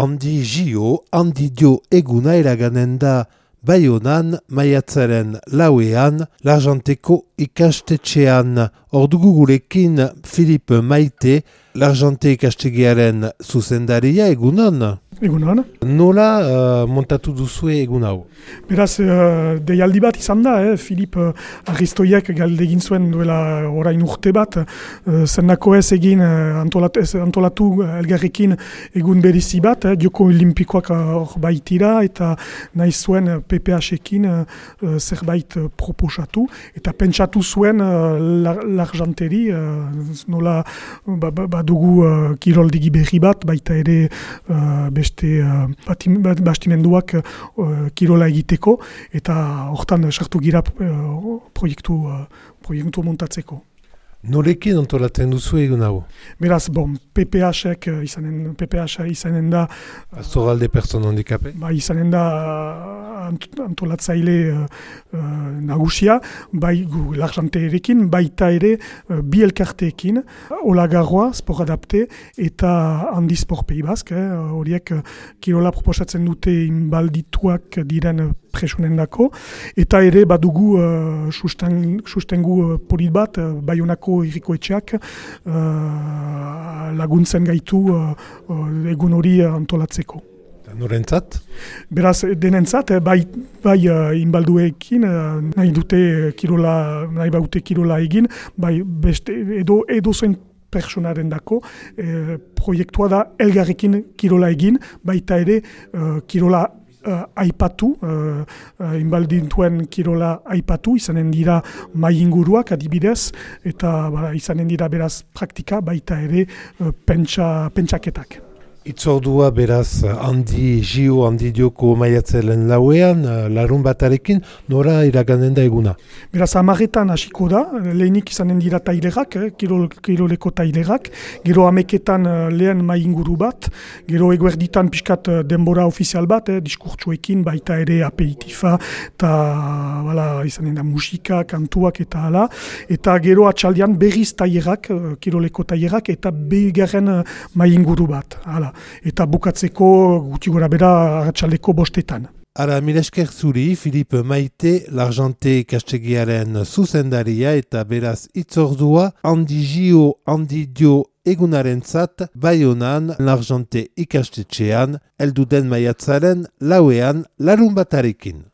Handi Gio, handi dio eguna eraganen da Baionan, maiatzaren lauean, l'Argenteko ikastetxean. Ordugu gurekin Philippe Maite, l'Argente ikastegiaren zuzendaria egunon. Egunon. Nola montatu duzue egun hau? Beraz, deialdi bat izan da, Filip Aristoiek galdegin zuen duela orain urte bat, zendako ez egin antolatu elgarrekin egun berizi bat, Joko Olimpikoak hor baitira, eta nahi zuen PPH-ekin zerbait proposatu, eta pentsatu zuen l'Argenteri, nola badugu kiroldegi berri bat, baita ere beste bastimenduak kirola egiteko, eta hortan sartu gira proiektu montatzeko. Norekin antolatzen duzu egun hau? Beraz, PPH izanen da... Zorralde Pertsona Handikape? Izanen da antolatzaile nagusia, bai l'Argenterekin, baita ere bi elkarteekin, Olagarroa, Sport Adapte, eta Handi Sport Pays Basque, horiek kirola proposatzen dute inbaldituak diren presunendako, eta ere badugu sustengu polit bat, Baionako irriko etxeak laguntzen gaitu egun hori antolatzeko. Norentzat? Beraz, denentzat, bai inbalduekin nahi baute kirola egin, bai beste edo zen personaren dako, proiektua da elgarrekin kirola egin, baita ere kirola aipatu, inbaldintuen kirola aipatu, izanen dira mai inguruak adibidez, eta izanen dira beraz praktika, baita ere pentsaketak. Itzordua beraz handi Gio, handi dioko maiatzelen lauean, larun batarekin, nora iraganen da eguna? Beraz, 10etan hasiko da, lehenik izanen dira tailerak, kiroleko tailerak, gero 11etan lehen mai inguru bat, gero eguerditan pixkat denbora ofizial bat, diskurtsuekin, baita ere aperitifa, eta izanen da musika, kantuak eta hala, eta gero atxaldean berriz tailerak, kiroleko tailerak, eta bigarren mai inguru bat, hala. Eta bukatzeko guti gora bera arratsaldeko 5etan. Ara, mila esker zuri, Philippe Maite, l'Argente ikastegiaren zuzendaria eta beraz itzordua, handi Gio, handi dio egunarentzat, Baionan, l'Argente ikastetxean, elduden maiatzaren lauean larun batarekin.